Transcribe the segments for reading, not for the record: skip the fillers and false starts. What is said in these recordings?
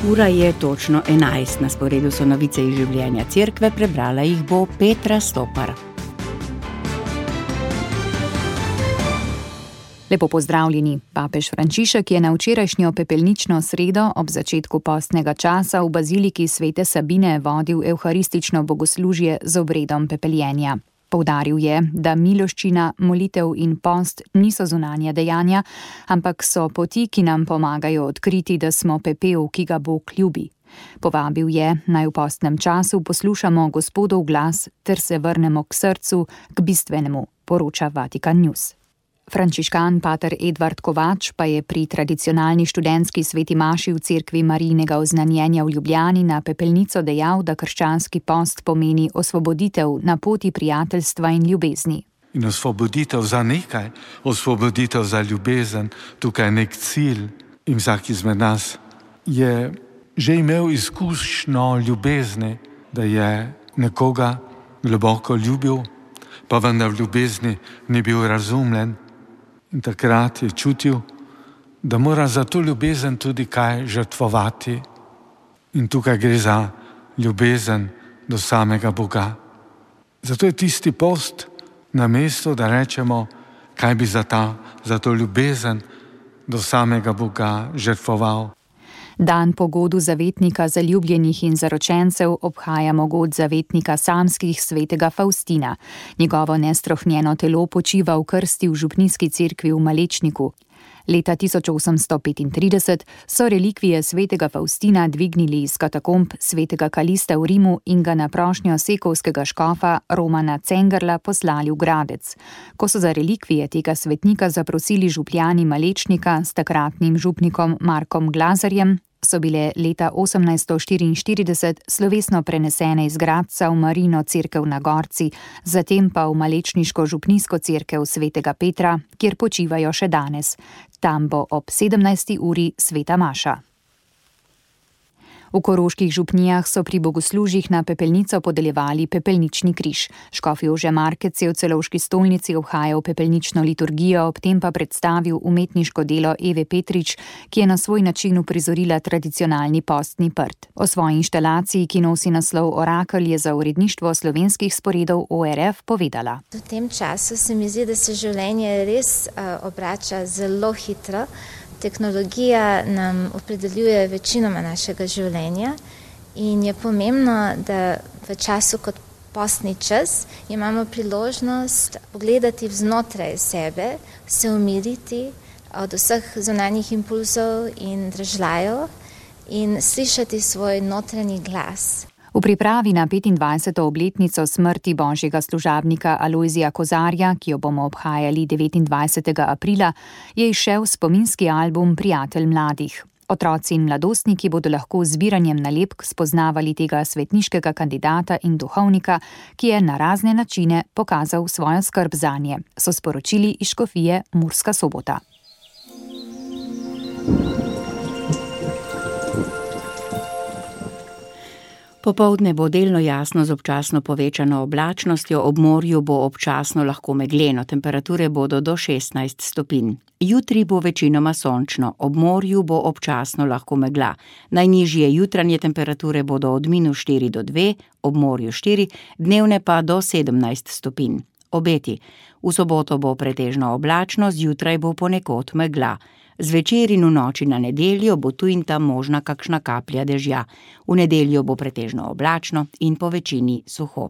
Ura je točno 11, na sporedu so novice iz življenja cerkve, prebrala jih bo Petra Stopar. Lepo pozdravljeni. Papež Frančišek je na včerajšnjo pepelnično sredo ob začetku postnega časa v baziliki Svete Sabine vodil evharistično bogoslužje z obredom pepeljenja. Poudaril je, da miloščina, molitev in post niso zunanja dejanja, ampak so poti, ki nam pomagajo odkriti, da smo pepel, ki ga Bog ljubi. Povabil je, naj v postnem času poslušamo Gospodov glas ter se vrnemo k srcu, k bistvenemu, poroča Vatikan News. Frančiškan pater Edvard Kovač pa je pri tradicionalni študentski sveti maši v cerkvi Marijinega oznanjenja v Ljubljani na pepelnico dejal, da krščanski post pomeni osvoboditev na poti prijateljstva in ljubezni. In osvoboditev za nekaj, osvoboditev za ljubezen, tukaj je nek cilj. In vsak izmed nas je že imel izkušnjo ljubezni, da je nekoga globoko ljubil, pa vendar v ljubezni ni bil razumljen. In takrat je čutil, da mora za to ljubezen tudi kaj žrtvovati. In tukaj gre za ljubezen do samega Boga. Zato je tisti post na mestu, da rečemo, kaj bi za to ljubezen do samega Boga žrtvoval. Dan po godu zavetnika zaljubljenih in zaročencev obhajamo god zavetnika samskih svetega Faustina. Njegovo nestrohnjeno telo počiva v krsti v župnijski cerkvi v Malečniku. Leta 1835 so relikvije svetega Faustina dvignili iz katakomb svetega Kalista v Rimu in ga na prošnjo sekovskega škofa Romana Cengerla poslali v Gradec. Ko so za relikvije tega svetnika zaprosili župljani Malečnika s takratnim župnikom Markom Glazarjem, so bile leta 1844 slovesno prenesene iz Gradca v Marijino cerkev na Gorci, zatem pa v malečniško župnijsko cerkev svetega Petra, kjer počivajo še danes. Tam bo ob 17. uri sveta maša. V koroških župnijah so pri bogoslužjih na pepelnico podeljevali pepelnični križ. Škof Jože Markec je v Celovški stolnici obhajal pepelnično liturgijo, ob tem pa predstavil umetniško delo Eve Petrič, ki je na svoj način uprizorila tradicionalni postni prt. O svoji inštalaciji, ki nosi naslov Orakelj, je za uredništvo slovenskih sporedov ORF povedala. V tem času se mi zdi, da se življenje res obrača zelo hitro. Tehnologija nam opredeljuje večinoma našega življenja in je pomembno, da v času kot postni čas imamo priložnost pogledati vznotraj sebe, se umiriti od vseh zunanjih impulzov in dražljajev in slišati svoj notranji glas. V pripravi na 25. obletnico smrti božjega služabnika Alojzija Kozarja, ki jo bomo obhajali 29. aprila, je izšel spominski album Prijatelj mladih. Otroci in mladostniki bodo lahko z zbiranjem nalepk spoznavali tega svetniškega kandidata in duhovnika, ki je na razne načine pokazal svojo skrb zanje, so sporočili iz škofije Murska Sobota. Popoldne bo delno jasno z občasno povečano oblačnostjo, ob morju bo občasno lahko megleno, temperature bodo do 16 stopinj. Jutri bo večinoma sončno, ob morju bo občasno lahko megla. Najnižje jutranje temperature bodo od -4 do 2, ob morju 4, dnevne pa do 17 stopinj. Obeti. V soboto bo pretežno oblačno, zjutraj bo ponekod megla. Zvečer in v noči na nedeljo bo tu in tam možna kakšna kaplja dežja. V nedeljo bo pretežno oblačno in po večini suho.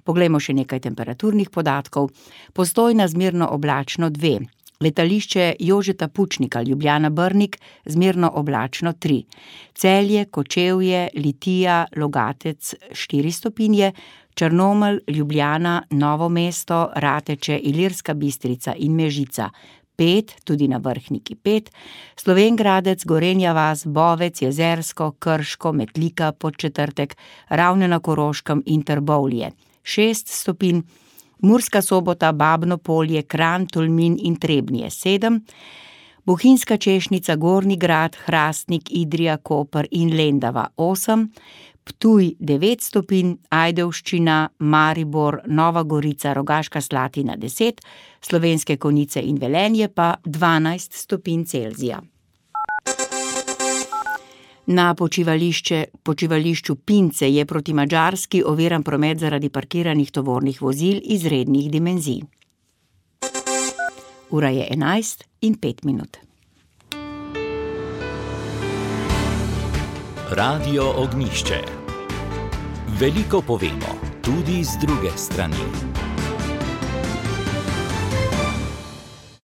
Poglejmo še nekaj temperaturnih podatkov. Postojna zmerno oblačno 2. Letališče Jožeta Pučnika Ljubljana-Brnik zmerno oblačno 3. Celje, Kočevje, Litija, Logatec 4 stopinje, Črnomelj, Ljubljana, Novo mesto, Rateče, Ilirska Bistrica in Mežica 5, tudi na Vrhniki 5, Slovenj Gradec, Gorenja vas, Bovec, Jezersko, Krško, Metlika, Podčetrtek, Ravne na Koroškem in Trbovlje 6 stopinj, Murska Sobota, Babno Polje, Kranj, Tolmin in Trebnje 7, Bohinjska Češnica, Gornji Grad, Hrastnik, Idrija, Koper in Lendava 8, Ptuj 9 stopinj, Ajdovščina, Maribor, Nova Gorica, Rogaška Slatina 10, Slovenske Konjice in Velenje pa 12 stopinj Celzija. Na počivališču Pince je proti Madžarski oviran promet zaradi parkiranih tovornih vozil izrednih dimenzij. Ura je 11:05. Radio Ognjišče. Veliko povemo, tudi z druge strani.